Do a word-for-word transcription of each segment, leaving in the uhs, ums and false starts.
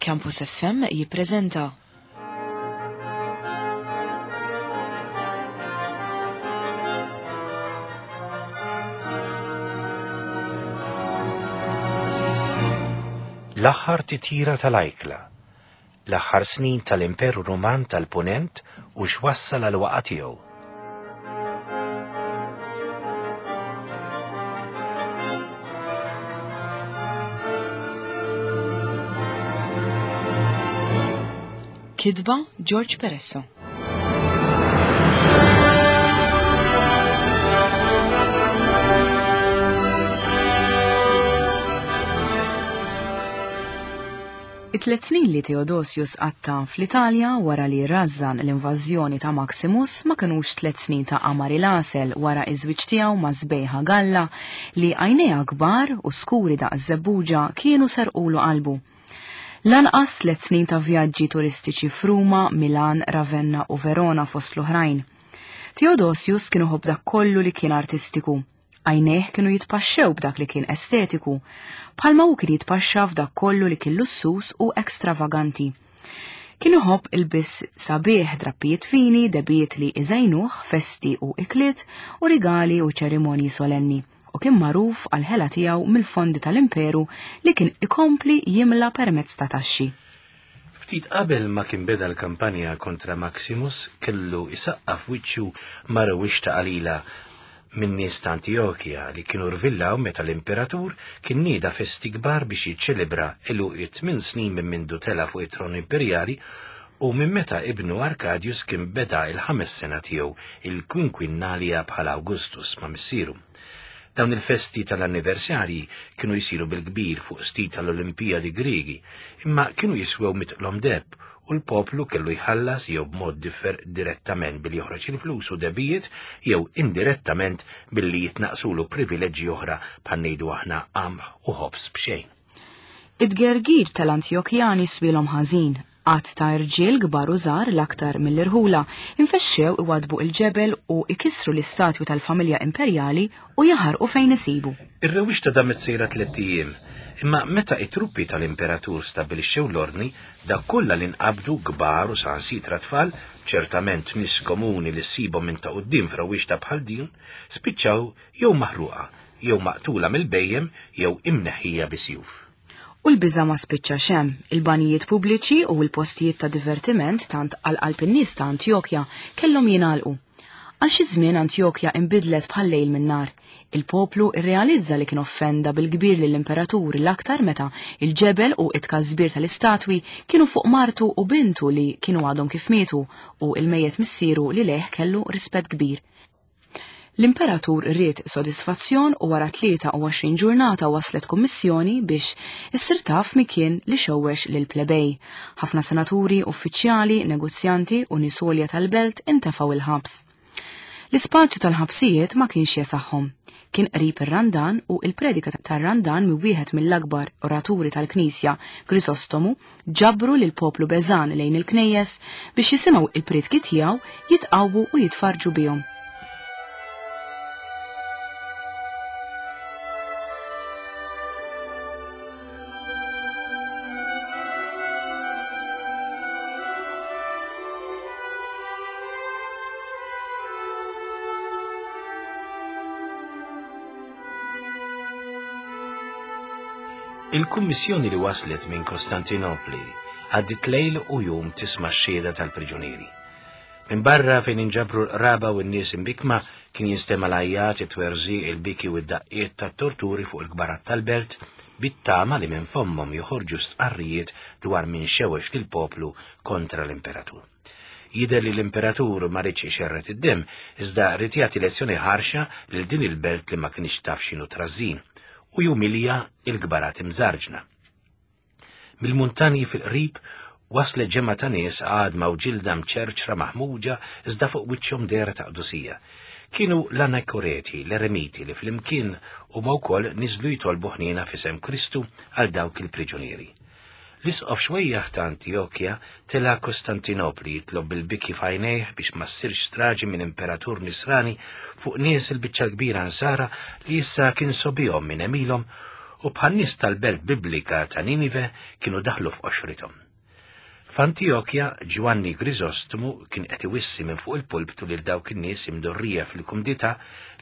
Campus F M jippreżenta L-aħħar titjira tal-ajkla, l-aħħar snin tal-Imperu Ruman tal-Punent u x'wassal għal waqgħa tiegħu. Kitba George Peresso. It-tliet snin li Theodosius qatta fl-Italja wara li rażżan l-invażjoni ta' Maximus ma kinux tliet snin ta' qamar il-għasel wara iż-żwieġ tiegħu ma' Sbejħa Galla li għajnejha kbar u skuri daqs żebbuġa kienu serqulu qalbu. Lanqas tliet snin ta' vjaġġi turistiċi f'Ruma, Milan, Ravenna u Verona fost l-oħrajn. Theodosius kien iħobb dak kollu li kien artistiku. Għajnejh kienu jitpaxxew b'dak li kien estetiku, bħalma hu kien jitpaxxa f'dak kollu li kien lussus u ekstravaganti. Kien iħobb ilbies sabiħ, drappijiet fini, debiet li iżejnuh, festi u ikliet u rigali u ċerimonji solenni, u kien magħruf għal ħela tiegħu mill-fondi tal-imperu li kien ikompli jimla permezz ta' taxxi. Ftit qabel ma kien beda l-kampanja kontra Maximus kellu isaqqaf wiċċu ma' rewwixta qalila minn nies ta' Antiochia li kienu rvillaw meta l-imperatur kien nieda festi kbar biex jiċċelebra għeluq it-tmien snin minn mindu tela' fuq it-tron imperjali u minn meta ibnu Arcadius kien beda il-ħames sena tiegħu il-Quinquinnalia bħala Augustus ma' missieru. Dawn il-festi tal-anniversarji kienu jsiru bil-kbir fuq stil tal-Olimpijadi Griegi, imma kienu jiswew mitqlom deheb u l-poplu kellu jħallas jew b'mod differ direttament billi joħroġ il-flus u debijiet jew indirettament billi jitnaqsulu privileġġi oħra bħal ngħidu aħna qamħ u ħobż b'xejn. Id-gergir tal-Antjokjani swielhom ħażin. Għadd ta' irġiel kbar u żgħar l-aktar mill-irħula infexxew iwadbu il-ġebel u ikissru l-istatwi tal-familja imperjali u jaħarqu fejn isibu. Ir-rewwixta damet sejra tliet ijiem, imma meta it-truppi tal-imperatur stabilixxew l-ordni, dak kollha li nqabdu kbar u saħansitra tfal, ċertament nies komuni li ssibhom minn ta' quddiem f'rewwixta bħal din, spiċċaw jew maħruqa, jew maqtula mill-bejjem jew imneħħija bisjuf. U l-biża' ma spiċċax hemm. Il-banijiet pubbliċi u l-postijiet ta' divertiment tant għal qalb in-nies ta' Antjokja kellhom jingħalqu. Għal xi żmien Antjokja inbidlet bħal lejl min-nar. Il-poplu irrealizza li kien offenda bil-kbir lill-imperatur l-aktar meta il-ġebel u it-tkażbir tal-istatwi kienu fuq martu u bintu li kienu għadhom kif mietu u il-mejjet missieru li leh kellu rispett kbir. L-imperatur ried sodisfazzjon u wara tlieta u għoxrin ġurnata waslet kummissjoni biex issir taf min kien li xewwex lil plebej. Ħafna senaturi, uffiċjali, negozjanti u nies għolja tal-belt intefgħu il-ħabs. L-ispazju tal-ħabsijiet ma kienx jesaħħom. Kien qrib ir-Randan u il-predika tar-Randan minn wieħed mill-akbar oraturi tal-Knisja, Grisostomu, ġabru lil poplu beżan lejn il-knejjes biex jisimgħu il-priedki tiegħu, jitqawwu u jitfarġu bihom. Il-kummissjoni li waslet minn Kostantinopli għaddit lejl u jum tisma' x-xhieda tal-priġunieri. Minn barra fejn inġabru l-qraba u n-nies imbikma kien jinstema' l-għajjat, it-twerżiq, il-biki u d-daqqiet tat-torturi fuq il-kbarat tal-belt bit-tama li minn fommhom joħorġu stqarrijiet dwar min xewex lill-poplu kontra l-imperatur. Jidher li l-imperatur ma riedx ixerred id-demm, iżda ried jagħti lezzjoni ħarxa lil din il-belt li ma kienx taf x'inhu trażżin u jumilja il-kbarat imżarġna. Mill-muntanji fil-qrib waslet ġemgħa ta' nies għadma u ġilda mċerċra maħmuġa iżda fuq wiċċhom dehra ta' qdusija. Kienu l-anakoreti, l-eremiti li flimkien huma wkoll niżlu jitolbu ħniena f'isem Kristu għal dawk il-priġunieri. L-isqof xwejjaħ ta' Antjokja tela' Kostantinopli jitlob bil-biki f'għajnejh biex ma ssirx straġi minn imperatur nisrani fuq nies il-biċċa l-kbira nsara li issa kien sobihom minn għemilhom u bħan-nies tal-belt biblika ta' Ninive kienu daħlu f'qoxrithom. F'Antijokja, Ġwanni Griżostomu kien qed iwissi minn fuq il-pulptu lil dawk in-nies imdorrija fil-kumdità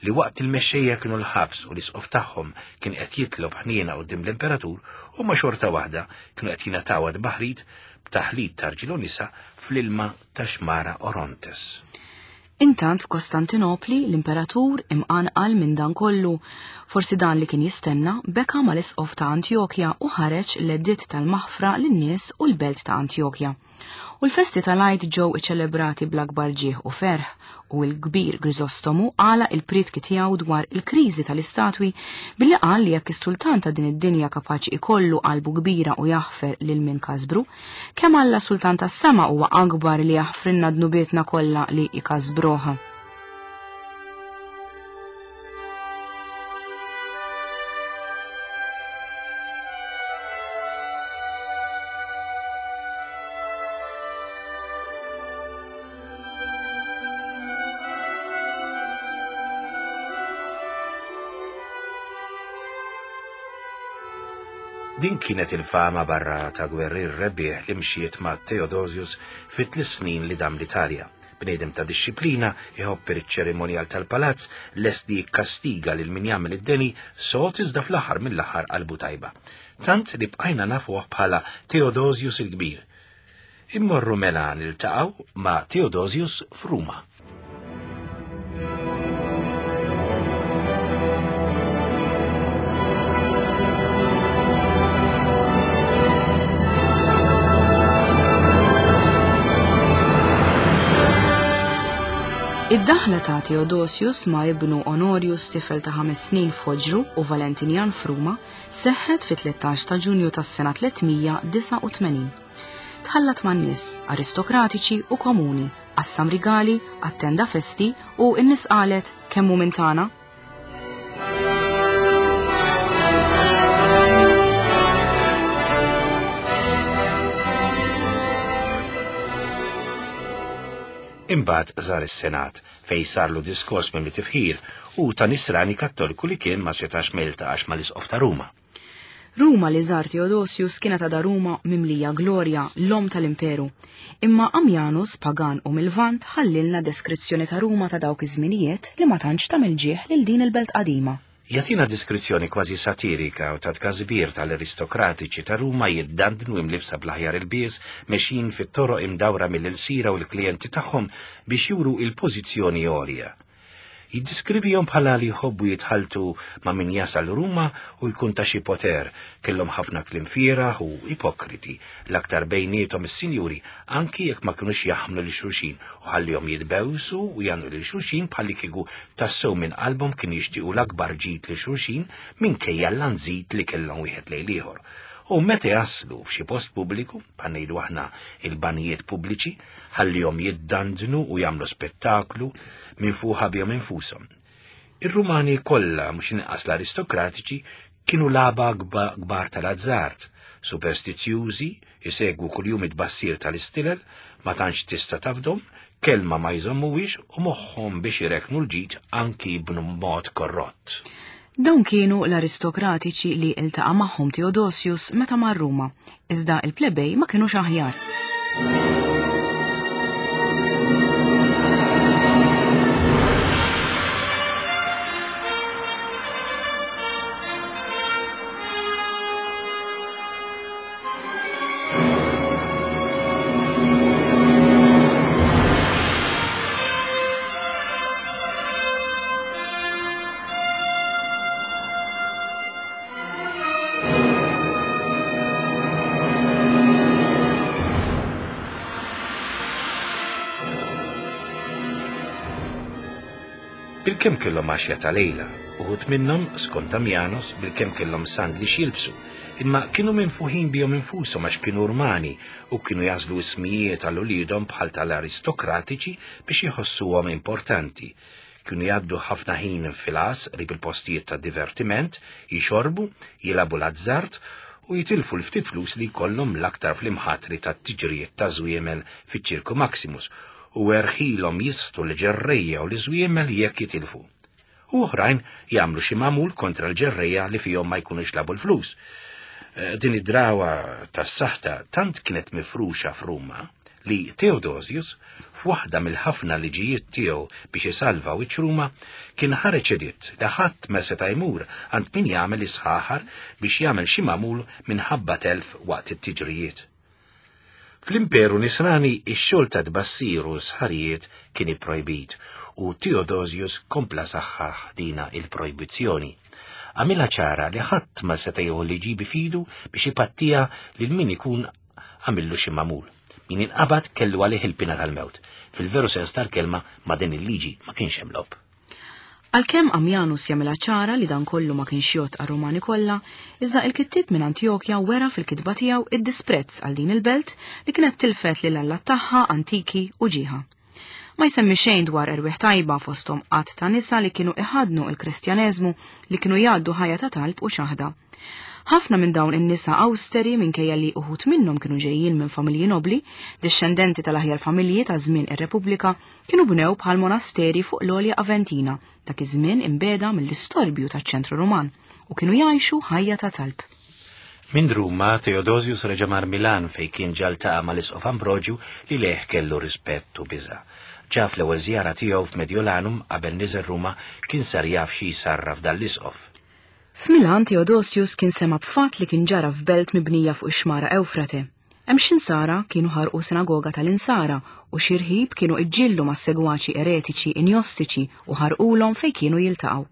li waqt il-mexxejja kienu l-ħabs u l-isqof tagħhom kien qed jitlob ħniena quddiem l-imperatur, huma xorta waħda kienu qed jingħataw tbaħrid b'taħlit ta' rġiel u nisa fl-ilma ta' xmara Orontes. Intant f'Kostantinopli l-imperatur imqanqal minn dan kollu, forsi dan li kien jistenna, beka mal-isqof ta' Antjokja u ħareġ l-editt tal-maħfra lin-nies u l-belt ta' Antjokja. U l-festi tal-Għid ġew iċċelebrati bl-akbar ġieħ u ferħ, u l-kbir Griżostomu għalaq il-prietki tiegħu dwar il-kriżi tal-istatwi billi qal li jekk is-sultan ta' din id-dinja kapaċi ikollu qalbu kbira u jaħfer lil min kasbru, kemm Alla sultan tas-sema huwa akbar li jaħfrilna dnubietna kollha li ikasbruha. Din kienet il-fama barra ta' gwerrier rebbieħ li mxiet ma' Theodosius fit tliet snin li dam l-Italja. Bniedem ta' disċiplina, iħobb iċ-ċerimonjal tal-palazz, lest li jikkastiga lil min jagħmel id-deni, sod iżda fl-aħħar mill-aħħar qalbu tajba. Tant li bqajna nafuh bħala Theodosius il-Kbir. Immorru mela niltaqgħu ma' Theodosius f'Ruma. Id-daħla ta' Theodosius ma' ibnu Honorius tifel ta' ħames snin f'Oġru u Valentinian f'Ruma seħħet fi tlettax ta' Ġunju tas-sena tliet mija disgħa u tmenin. Tħallat man-nies aristokratiċi u komuni, qassam rigali, attenda festi u n-nies qalet kemm hu minn tagħna. Imbagħad żar is-Senat fejn sarlu diskors mimli tifħir u ta' nisrani kattoliku li kien ma setax ma jiltaqax mal-isqof ta' Ruma. Ruma li żar Theodosius kienet għadha Ruma mimlija glorja, l-om tal-imperu. Imma Ammianus, pagan u mil-Lvant, ħallilna deskrizzjoni ta' Ruma ta' dawk iż-żminijiet li ma tantx tagħmel ġieħ lil din il-belt qadima. Jagħtina deskrizzjoni kważi satirika u ta' tkażbir tal-aristokratiċi ta' Ruma jiddandnu imlibsa bl-aħjar ilbies, mexjin fit-toroq imdawra mill-ilsira u l-klijenti tagħhom biex juru il-pożizzjoni għolja. Jiddiskrivihom bħala li jħobbu jitħaltu ma' min jasal Ruma u jkun ta' xi poter, kellhom ħafna kliem fieragħ u ipokriti, l-aktar bejniethom is-sinjuri, anki jekk ma kinux jaħmlu lil xulxin u ħallihom jitbewsu u jagħmlu lil xulxin bħalli kieku tassew minn qalbhom kien jixtiequ l-akbar ġid lil xulxin minkejja l-lanżit li kellhom wieħed lejn ieħor. U meta jaslu f'xi post pubbliku, bħal ngħidu aħna il-banijiet pubbliċi, ħallihom jiddandnu u jagħmlu spettaklu minn fuqha bihom infushom. Ir-Rumani kollha, mhux inqas l-aristokratiċi, kienu laba kbar tal-azzard, superstizjużi, isegwu kuljum it-bassir tal-istilel, ma tantx tista' tafdhom, kelma ma jżommuwiex u moħħhom biex ireknu l-ġid anki b'mod korrott. Dawn kienu l-aristokratiċi li iltaqa' magħhom Theodosius meta mar Ruma, iżda il-plebej ma kinux aħjar. Bilkemm kellhom għaxja ta' lejla, uħud minnhom skont Ammianus bilkemm kellhom sandli x'jilbsu, imma kienu minfuħin bihom infushom għax kienu Rumani u kienu jażlu ismijiet għal uliedhom bħal tal-aristokratiċi biex jħossuhom importanti. Kienu jgħaddu ħafna ħin fil-għas qrib il-postijiet ta' divertiment, jixorbu, jilagħbu l-azzard u jitilfu l-ftit flus li jkollhom l-aktar fl-imħatri tat-tiġrijiet ta' żwiemel fiċ-Ċirku Maximus u erħilhom jisħtu l-ġerrejja u l-iżwiemel jekk jitilfu. u oħrajn jagħmlu xi magħmul kontra l-ġerrejja li fihom ma jkunux labu l-flus. Din id-drawa tas-saħta tant kienet mifruxa f'Ruma li Theodosius, f'waħda mill-ħafna liġijiet tiegħu biex isalva wiċċ Ruma, kien ħareġ editt li ħadd ma seta' jmur għand min jagħmel isħaħar biex jagħmel xi magħmul minħabba telf waqt it-tiġrijiet. Fl-Imperu Nisrani ix-xogħol ta' tbassir u sħarijiet kien ipprojbit u Theodosius kompla saħħaħ dina il-projbizzjoni. Għamilha ċara li ħadd ma seta' jieħu liġi bifidu biex ipattija lil min ikun għamillu xi magħmul. Min inqabad kellu għalih il-pina tal-mewt. Fil-veru sens tal-kelma ma' din il-liġi ma kienx hemm logħob. Għalkemm Ammianus jagħmilha ċara li dan kollu ma kienx jgħodd għar-Rumani kollha, iżda il-kittieb minn Antjokja wera fil-kitba tiegħu id-disprezz għal din il-belt li kienet tilfet lil allat tagħha antiki u ġieħa. Ma jsemmi xejn dwar erwieħ tajba fosthom qatt ta' nisa li kienu iħadnu il-Kristjaneżmu li kienu jgħaddu ħajja ta' talb u xaħda. Ħafna minn dawn in-nisa awsteri minkejja li uħud minnhom kienu ġejjin minn familji nobli, dixxendenti tal-aħjar familji ta' żmien ir-Repubblika, kienu bnew bħal monasteri fuq l-Olja Aventina, dak iż-żmien imbeda mill-istorbju taċ-ċentru Ruman, u kienu jgħixu ħajja ta' talb. Minn Ruma, Theodosius reġa' mar Milan fejn kien ġa ltaqa' mal-Isqof Ambroġju li leh kellu rispett u biża'. Ġa fl-ewwel żjara tiegħu f'Mediolanum qabel niżel Ruma kien sar jaf xi jsarraf dan l-isqof. F'Milan Theodosius kien sema b'fatt li kien ġara f'belt mibnija fuq ix-xmara Ewfrate. Hemm xi nsara kienu ħarqu sinagoga tal-insara u xi rħib kienu iġġillu ma' segwaċi eretiċi injostiċi u ħarqulhom fejn kienu jiltaqgħu.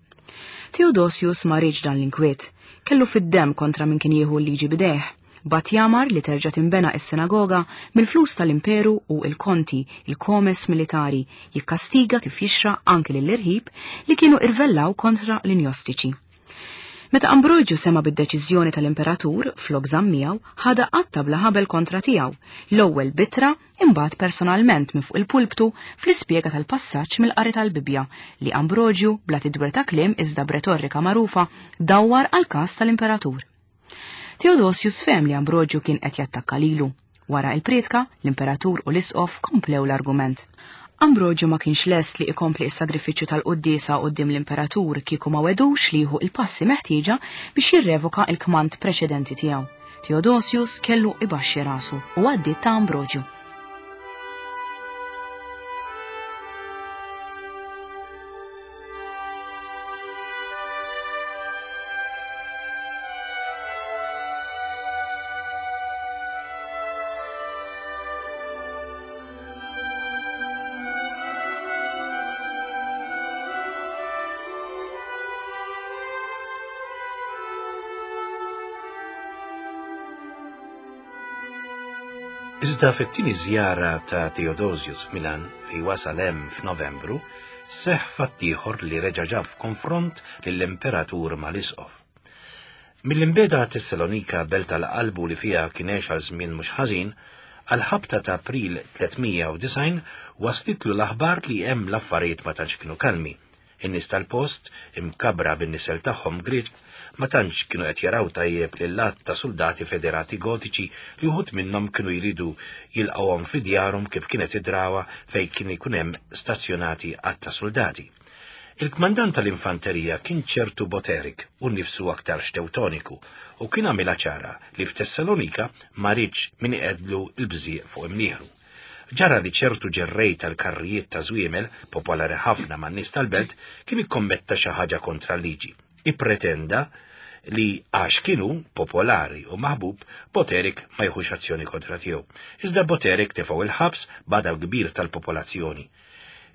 Theodosius ma riedx dan l-inkwiet, kellu fid-demm kontra min kien jieħu l-liġi b'idejh. Bat jamar li terġa' tinbena is-sinagoga mill-flus tal-imperu u il-konti, il-komes militari, jikkastiga kif jixra anki lill-irħib li kienu irvellaw kontra l-injostiċi. Meta Ambroġju sema bid-deċiżjoni tal-imperatur flok żamm miegħu, ħada qatta bla ħabel kontra tiegħu, l-ewwel bitra imbagħad personalment minn fuq il-pulptu fl-ispjega tal-passaġġ mill-qari tal-Bibbja li Ambroġju bla tidwir ta' kliem iżda b'retorika magħrufa dawwar għal każ tal-imperatur. Theodosius fehem li Ambroġju kien qed jattakka lilu. Wara il-prietka, l-imperatur u l-isqof komplew l-argument. Ambroġju ma kienx lest li ikompli s-sagrifiċċju tal-quddiesa quddiem l-imperatur kieku ma wedux li jieħu il-passi meħtieġa biex jirrevoka il-kmand preċedenti tiegħu. Theodosius kellu ibaxxi rasu u għaddiet ta' Ambroġju. Iżda fit-tieni żjara ta' Theodosius f'Milan fejn wasal hemm f'Novembru, seħħ fatt ieħor li reġa' ġab f'konfront lill-imperatur mal-isqof. Mill-imbeda Tessalonika, belt tal-qalbu li fiha kien għex għal żmien mhux ħażin, għal-ħabta ta' April tliet mija u disgħin waslitlu l-aħbar li hemm l-affarijiet ma tantx kienu kalmi. In-nies tal-post, imkabra bin-nisel tagħhom Grieg, ma tantx kienu qed jaraw tajjeb lil għadd ta' soldati federati gotiċi li wħud minnhom kienu jridu jilqgħuhom fi djarhom kif kienet id-drawa fejn kien ikun hemm stazzjonati għadd ta' soldati. Il-kmandant tal-infanterija kien ċertu Boterik u nnifsu aktar Tewtoniku u kien għamilha ċara li f'Tessalonika ma riedx min iqedlu l-bżieq fuq imnieħru. Ġara li ċertu ġerrej tal-karrijiet ta' żwiemel, popolari ħafna man-nies tal-belt, kien ikkommetta xi ħaġa kontra l-liġi. Ippretenda li għax kienu popolari u maħbub, Boterik ma jieħux azzjoni kontra tiegħu. Iżda Boterik tefgħu il-ħabs b'għadab kbir tal-popolazzjoni.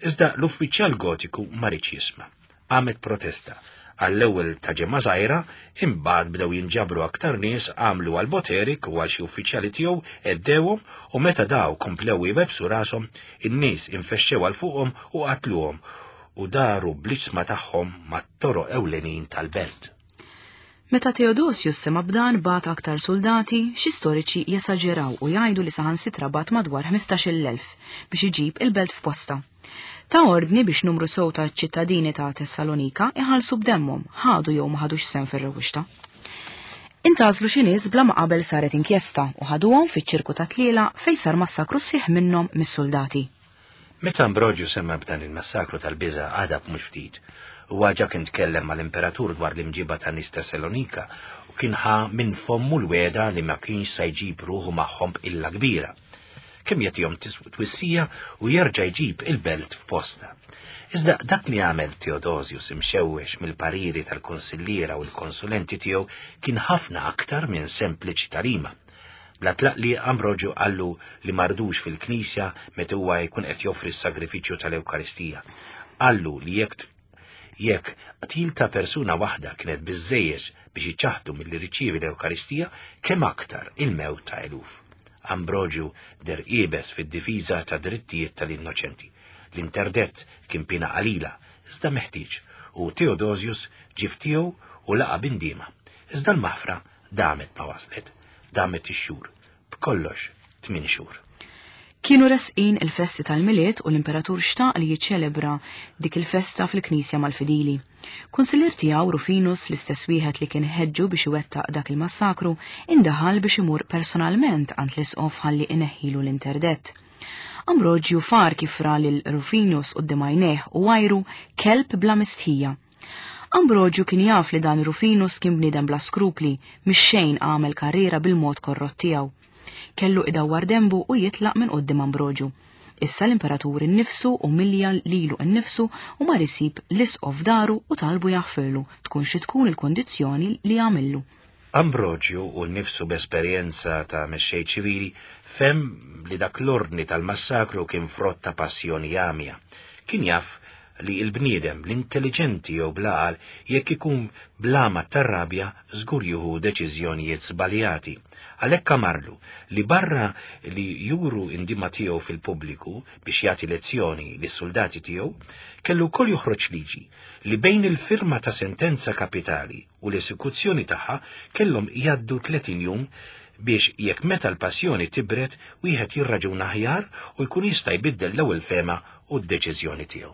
Iżda l-uffiċjal gotiku ma riedx jisma'. Għamet protesta. Għall-ewwel ta' ġemma żgħira, imbagħad bdew jinġabru aktar nies għamlu għal Boterik u għal xi uffiċjali tiegħu għeddewhom u meta daw komplew jwebsu rashom, in-nies infexxew għal fuqhom u qatluhom u daru bl-iġsma tagħhom mat-toroq ewlenin tal-belt. Meta Theodosius sema b'dan bagħat aktar soldati, xi storiċi jesaġeraw u jgħidu li saħansitra bagħat madwar ħmistax-il elf biex iġib il-belt f'posta. Ta' ordni biex numru sew ta' ċittadini ta' Tessalonika iħallsu b'demmhom, ħadu jew ma ħadux sehem fir-rewwixta. Intażlu xi nies bla ma qabel saret inkjesta u ħaduhom fiċ-ċirku ta' tliela fejn sar massakru sħiħ minnhom mis-soldati. Meta Ambroġju semma b'dan il-massakru tal-biża' għadab mhux ftit Huwa ġa kien tkellem mal-imperatur dwar l-imġiba ta' nies Tessalonika u kien ħa minn fommu l-wegħda li ma kienx se jġib ruħu magħhom b'qilla kbira. Kemm jagħtihom twissija u jerġa' jġib il-belt f'posta. Iżda dak li għamel Theodosius imxewwex mill-pariri tal-konsilliera u l-konsulenti tiegħu kien ħafna aktar minn sempliċi tarima. Bla tlaq li Ambroġu qallu li mardux fil-knisja meta huwa jkun qed joffri s-sagrifiċċju tal-Ewkaristija. Qallu li jekk jekk qtil ta' persuna waħda kienet biżżejjed biex iċaħdu milli riċievi l-Ewkaristija, kemm aktar il-mewt ta' eluf. Ambroġu der iebes fid-difiża ta' drittijiet tal-innoċenti. L-interdett kien pina qalila, iżda meħtieġ, u Theodosius ġie f'tiegħu u laqa' b'indiema. Iżda l-maħfra damet ma waslet, damet ix-xhur, b'kollox tmien xhur. Kienu resqin il-festi tal-Milied u l-imperatur xtaq li jiċċelebra dik il-festa fil-knisja mal-fidili. Kunsillier tiegħu Rufinus, l-istess wieħed li kien ħeġġu biex iwettaq dak il-massakru, indaħal biex imur personalment għand l-isqof ħalli ineħħilu l-interdett. Ambroġju far kif ra lil Rufinus quddiem għajnejh u għajru kelb bla mistħija. Ambroġju kien jaf li dan Rufinus kien bniedem bla skrupli, mix-xejn għamel karriera bil-mod korrott tiegħu. Kellu idawwar dembu u jitlaq minn quddiem Ambroġu. Issa l-imperatur innifsu umilja lilu nnifsu u mar isib l-isqof daru u talbu jaħfirlu tkun xi tkun il-kondizzjoni li għamillu. Ambroġju u nnifsu b'esperjenza ta' mexxej ċivili fem li dak l-ordni tal-massakru kien frott ta' passjoni għamja. Kien jaf li l-bniedem, l-intelligenti jew bla għaqal, jekk ikun blama tar-rabja, żgur jieħu deċiżjonijiet żbaljati. Għalhekk amarlu li barra li juru indima tiegħu fil-pubbliku biex jagħti lezzjoni lis-soldati tiegħu, kellu wkoll joħroġ liġi li bejn il-firma ta' sentenza kapitali u l-esekuzzjoni tagħha kellhom jgħaddu tletin jum biex jekk meta l-passjoni tibret wieħed jirraġuna aħjar u jkun jista' jbiddel l-ewwel fema u d-deċiżjoni tiegħu.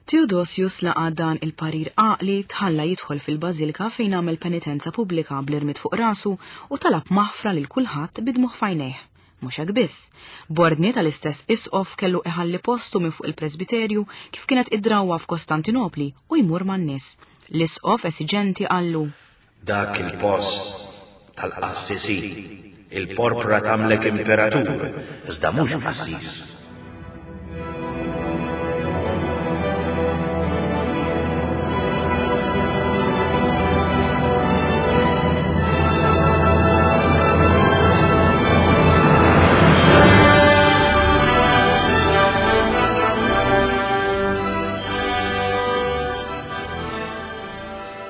Theodosius laqa' dan il-parir għaqli, tħalla jidħol fil-bażilka fejn għamel penitenza pubblika bl-irmid fuq rasu u talab maħfra lil kulħadd bidmuħ f'għajnejh. Mhux hekk biss, b'ordni tal-istess isqof kellu iħalli postu minn fuq il-presbiterju kif kienet id-drawwa f'Kostantinopli u jmur man-nies. L-isqof esiġenti qallu: Dak il-post tal-qassisin, il-porpra tagħmlek imperatur, iżda mhux qassis.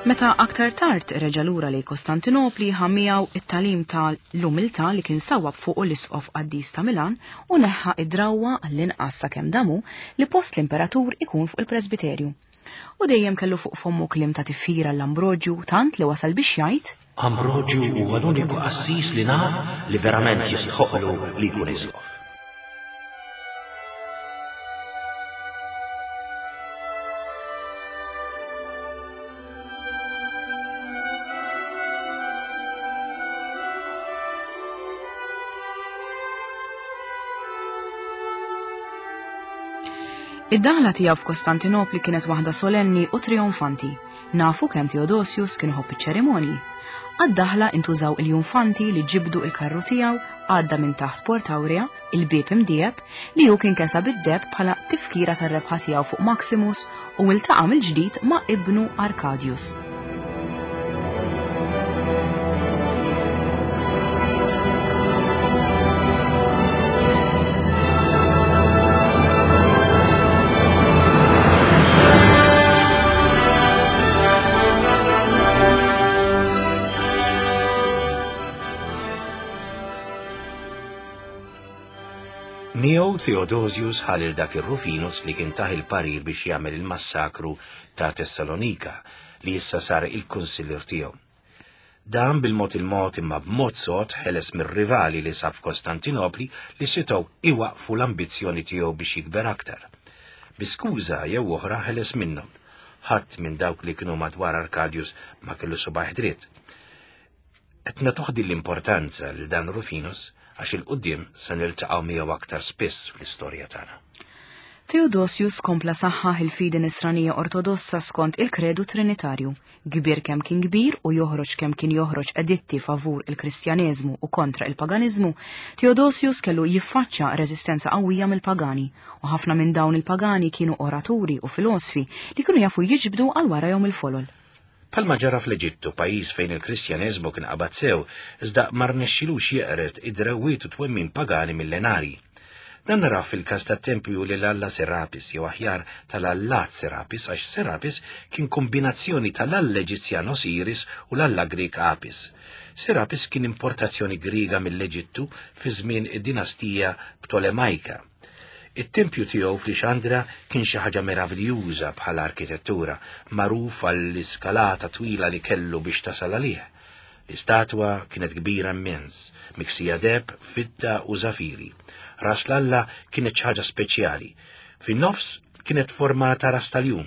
Meta aktar tard reġa' lura lejn Kostantinopli ħa miegħu it-tagħlim tal-umiltà li kien sawwab fuq l-isqof qaddis ta' Milan u neħħa id-drawwa għall-inqas sakemm damu li post l-imperatur ikun fuq il-presbiterju. U dejjem kellu fuq fommu kliem ta' tifħira l-Ambroġju tant li wasal biex jgħid: Ambroġju huwa l-uniku qassis li naf li verament jistħoqlu li jkun isqof. Id-daħla tiegħu f'Kostantinopli kienet waħda solenni u trionfanti. Nafu kemm Theodosius kien iħobb iċ-ċerimonji. Għad-daħla intużaw il-junfanti li ġibdu il-karru tiegħu għadda minn taħt Port Aurea, il-bieb imdieb, li hu kien kesa bid-deb bħala tifkira tar-rebħa tiegħu fuq Maximus u iltaqa' mill-ġdid ma' ibnu Arcadius. Miegħu Theodosius ħalil dak ir-Rufinus li kien taħ il-parir biex jagħmel il-massakru ta' Tessalonika li issa sar il-kunsillier tiegħu. Dan bil-mod il-mod imma b'mod sod ħeles mir-rivali li sab f'Kostantinopli li setgħu iwaqfu l-ambizzjoni tiegħu biex jikber aktar. Bi skuża jew oħra ħeles minnhom. Ħadd minn dawk li kienu madwar Arcadius ma kellu subaħ dritt. Qed nagħtuh l-importanza lil dan Rufinus għax il-qudiem se niltaqgħu miegħu aktar spiss fl-istorja tagħna. Theodosius kompla saħħaħ il-fidi nisranija ortodossa skont il-kredu trinitarju, kbir kemm kien kbir u joħroġ kemm kien joħroġ editti favur il-Kristjaneżmu u kontra il-paganiżmu, Theodosius kellu jiffaċċa reżistenza qawwija mill-pagani, u ħafna minn dawn il-pagani kienu oraturi u filosfi li kienu jafu jiġbdu għal warajhom il-folol. Palma ġara fl-Eġittu, pajjiż fejn il-Kristjaneżmu kien qabad sew, iżda ma rnexxilux jeqred id-drawwiet u twemmin pagani millenari. Dan naraw fil-każ tat-tempju lil Alla Serapis, jew aħjar tal-Allat Serapis, għax Serapis kien kombinazzjoni tal-Alla Eġizzjan Osiris u l-Alla Grek Apis. Serapis kien importazzjoni Griega mill-Eġittu fi żmien id-dinastija Ptolemajka. It-tempju tiegħu f'Lixandra kien xi ħaġa meraviljuża bħala arkitettura, magħruf għall-iskalata twila li kellu biex tasal għalih. L-istatwa kienet kbira immens, miksija deheb, fidda u żafiri. Ras l-Alla kienet xi ħaġa speċjali. Fin-nofs kienet formata ras tal-jum,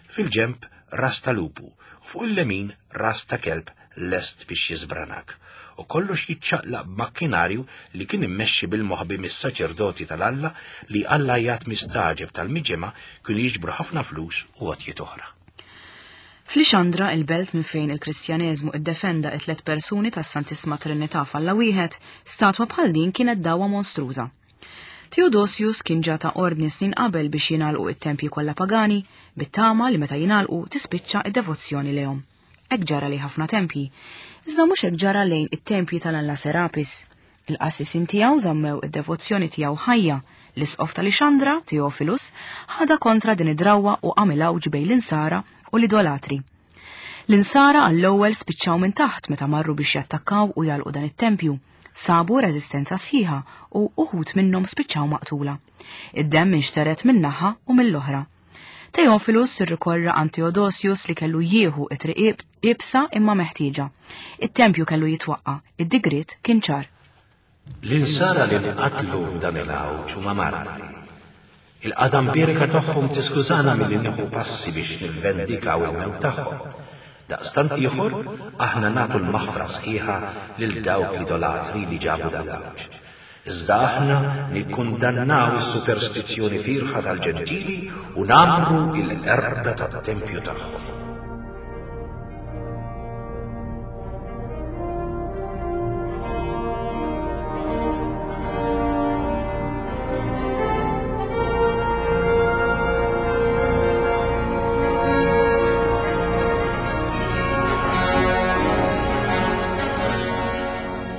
fil-ġemp ras tal-lupu, u fuq il-lemin ras ta' kelb lest biex jiżbranak. U kollox jiċċaqlaq b'makkinarju li kien immexxi bil-moħbi mis-saċerdoti tal-Alla li Alla jgħat mistaġeb tal-miġema kienu jiġbru ħafna flus u għotjiet oħra. F'Lixandra, il-belt minn fejn il-Kristjaneżmu iddefenda it-tliet persuni tas-Santissima Trinità f'Alla wieħed, statwa bħal din kienet dawwa monstruża. Theodosius kien ġa ta' ordni snin qabel biex jingħalqu it-tempji kollha pagani, bit-tama li meta jingħalqu tispiċċa id-devozzjoni lejhom. Hekk ġara li ħafna tempji, iżda mhux hekk ġara lejn it-tempji tal-Alla Serapis. Il-qassisin tiegħu żammew id-devozzjoni tiegħu ħajja. L-isqof ta' Lixandra, Theophilus, ħada kontra din id-drawwa u għamel għawġ bejn l-insara u l-idolatri. L-insara għall-ewwel spiċċaw minn taħt meta marru biex jattakkaw u jagħlqu dan it-tempju. Sabu reżistenza sħiħa u uħud minnhom spiċċaw maqtula. Id-demm inxteret minn naħa u mill-oħra. Theophilus irrikorra għand Theodosius li kellu jieħu it-triq iebsa imma meħtieġa. It-tempju kellu jitwaqqa, id-digriet kien ċar. L-insara li nqatlu f'dan il-għawġ huma martri. Il-qadam birka tagħhom tiskużana milli nieħu passi biex nivvendikaw il-mewt tagħhom. Daqstant ieħor aħna nagħtu l-maħfra sħiħa lil dawk l-idolatri li ġabu dan l-għawġ. Iżda aħna nikkundannaw is-superstizzjoni firħa tal-ġentili u namru il-qerda tat-tempju tagħhom.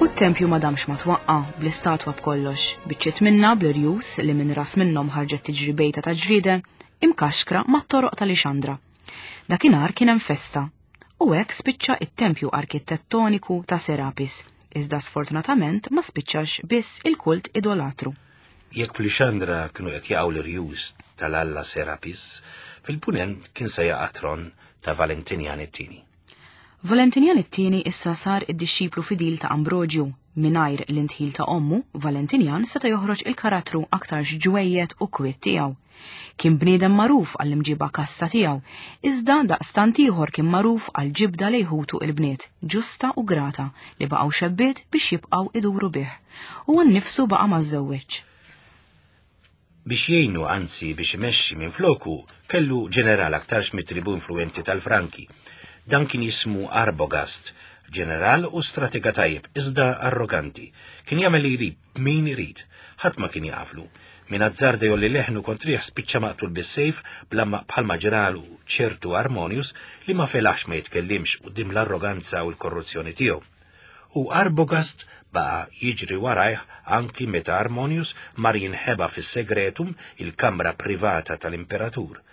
U t-tempju ma damx ma twaqqa bl-istatwa b'kollox, biċċiet minna bl-irjus li minn ras minnhom ħarġet tiġri bejta ta' ġriede, imkaxkra mat-toroq ta' Lixandra. Dakinhar kien hemm festa, u hekk spiċċa it-tempju arkitettoniku ta' Serapis, iżda sfortunatament ma spiċċax biss il-kult idolatru. Jekk f'Lixandra kienu qed jaqgħu l-irjus tal-Alla Serapis, fil-punent kien se jaqa' tron ta' Valentinian it-tieni. Valentinian it-tieni issa sar id-dixxiplu fidil ta' Ambrogju. Mingħajr l-intħil ta' ommu, Valentinian seta' joħroġ il-karattru aktarx ġwejjed u kwiet tiegħu. Kien bniedem magħruf għall-imġiba kassa tiegħu, iżda daqstant ieħor kien magħruf għal ġibda li jħutu il-bniet, ġusta u grata li baqgħu xebbiet biex jibqgħu iduru bih. Huwa nnifsu baqa' ma żżewweġ. Biex jgħinu, anzi biex imexxi minn floku, kellu ġeneral aktarx mit-tribu influenti tal-Franki. Dan kien jismu Arbogast, ġeneral u stratega tajjeb, iżda arroganti. Kien jagħmel li jrid, min irid, ħadd ma kien jaflu. Min azzarda jolli leħnu kontrih spiċċa maqtul bis-sejf bħalma ġralu ċertu Armonius li ma felax ma jitkellimx quddiem l-arroganza u l-korruzzjoni tiegħu. U Arbogast baqa' jiġri warajh anki meta Armonius mar jinħeba fis-segretum, il-kamra privata tal-imperatur.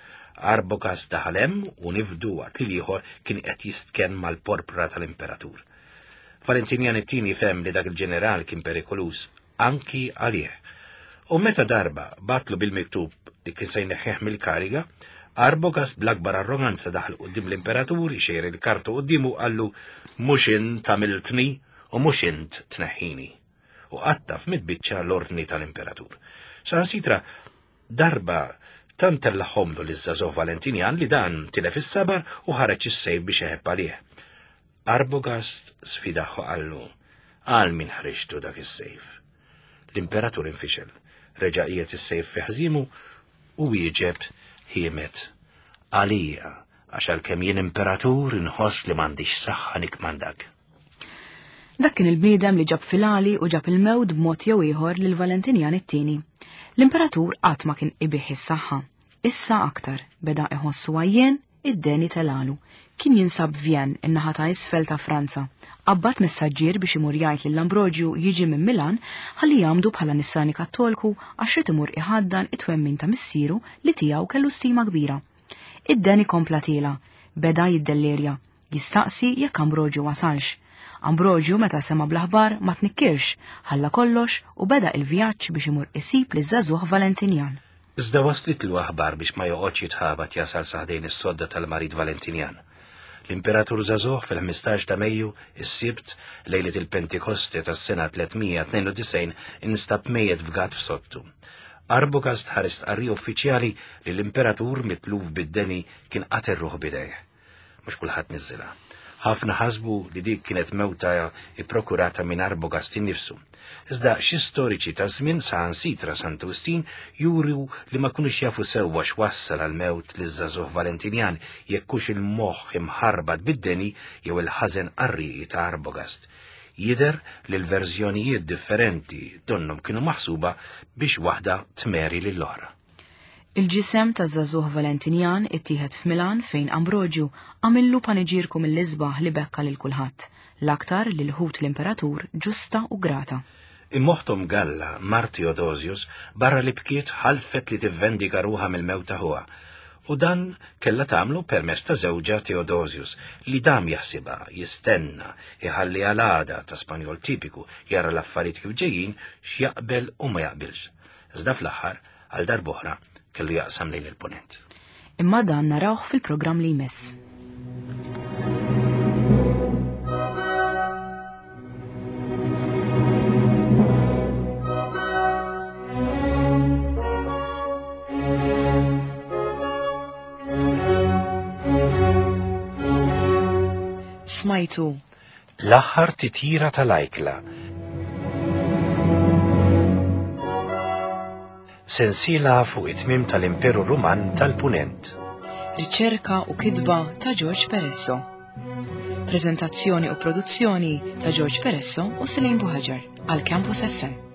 Arbogast daħal hemm u nifdu waqt li l-ieħor kien qed jistkenn mal-porpra tal-imperatur. Valentinian it-tieni fehem li dak il-ġeneral kien perikolus anki għalih. U meta darba batlu bil-miktub li kien se jneħħih mill-kariga, Arbogast bl-akbar arroganza daħal quddiem l-imperatur, ixejjer il-kartu quddiemu qallu mhux int għamiltni u mhux int tneħħini. U qatta f'mid-biċċa l-ordni tal-imperatur. Sansitra darba tant tellagħhomlu liż-żagħżugħ Valentinian li dan tilef is-sabar u ħareġ is-sejf biex iħebb għalih. Arbogast sfidaħ u qallu għal min ħriġtu dak is-sejf. L-imperatur infixel, reġa' qiegħed is-sejf fi ħżimu U wieġeb ħiemet: "Għalija, għax għalkemm jien imperatur inħoss li m'għandix saħħa nikmandak." Dak kien il-bniedem li ġab filali u ġab il-mewt b'mod jew ieħor lil Valentinjan it-tieni. L-imperatur qatt ma kien ibih is-saħħa. Issa aktar beda iħossu għajjen, id-deni telalu. Kien jinsab Vjen, in-naħa ta' isfel ta' Franza. Qabbat messaġġier biex imur jgħid lil Ambroġju jiġi minn Milan ħalli jgħammdu bħala nisrani Kattolku għax irid imur iħaddan it-twemmin ta' missieru li tiegħu kellu stima kbira. Id-deni kompla tiela, beda jiddellerja, jistaqsi jekk Ambroġju wasalx. Ambroġju meta sema bl-aħbar ma tnikkirx, ħalla kollox u beda il-vjaġġ biex imur isib liż-żagħżugħ Valentinjan. Iżda waslitlu aħbar biex ma joqgħodx jitħabat jasal sa ħdejn is-sodda tal-marid Valentinjan. L-imperatur żagħżugħ fil-ħmistax ta' Mejju, is-Sibt, lejlet il-Pentikoste tas-sena tliet mija tnejn u disgħin, instab mejjet fgat f'sodtu. Arbogast ħareġ stqarrija uffiċjali li l-imperatur mitluf bid-deni kien qatel ruħu b'idejh. Mhux kulħadd niżilha. Ħafna ħasbu li dik kienet mewta ipprokurata minn Arbogast innifsu. Iżda xi storiċi ta' żmien, saħansitra Santu Wistin, juru li ma kinux jafu sewwa x'wassal għal mewt liż-żagħżugħ Valentinjan, jekk hux il-moħħ imħarbat bid-deni jew il-ħażen qarrieqi ta' Arbogast. Jidher li l-verżjonijiet differenti donnhom kienu maħsuba biex waħda tmeri lill-oħra. Il-ġisem ta' żagħżugħ Valentinjan ittieħed f'Milan fejn Ambroġju għamillu paniġirku mill-isbaħ li bekka lil kulħadd, l-aktar lil ħut l-imperatur Ġusta u Grata. Imma oħthom Galla, mart Theodosius, barra li bkiet ħalfet li tivvendika ruħha mill-mewt ta' ħuha. U dan kella tagħmlu permezz ta' żewġha Theodosius li dam jaħsibha, jistenna, iħalli għal-għada ta' Spanjol tipiku, jara l-affarijiet kif ġejjin, x'jaqbel u ma jaqbilx. Iżda fl-aħħar, għal darb'oħra, kellu jaqsam lejn il-ponent. Imma dan narawh fil-programm li jmiss. Smajtu L-aħħar titjira tal-ajkla. Sensiela fuq it-tmim tal-Imperu Ruman tal-Punent. Riċerka u kitba ta' George Peresso. Prezentazzjoni u produzzjoni ta' George Peresso u Selene Buhaġar għal Campus F M.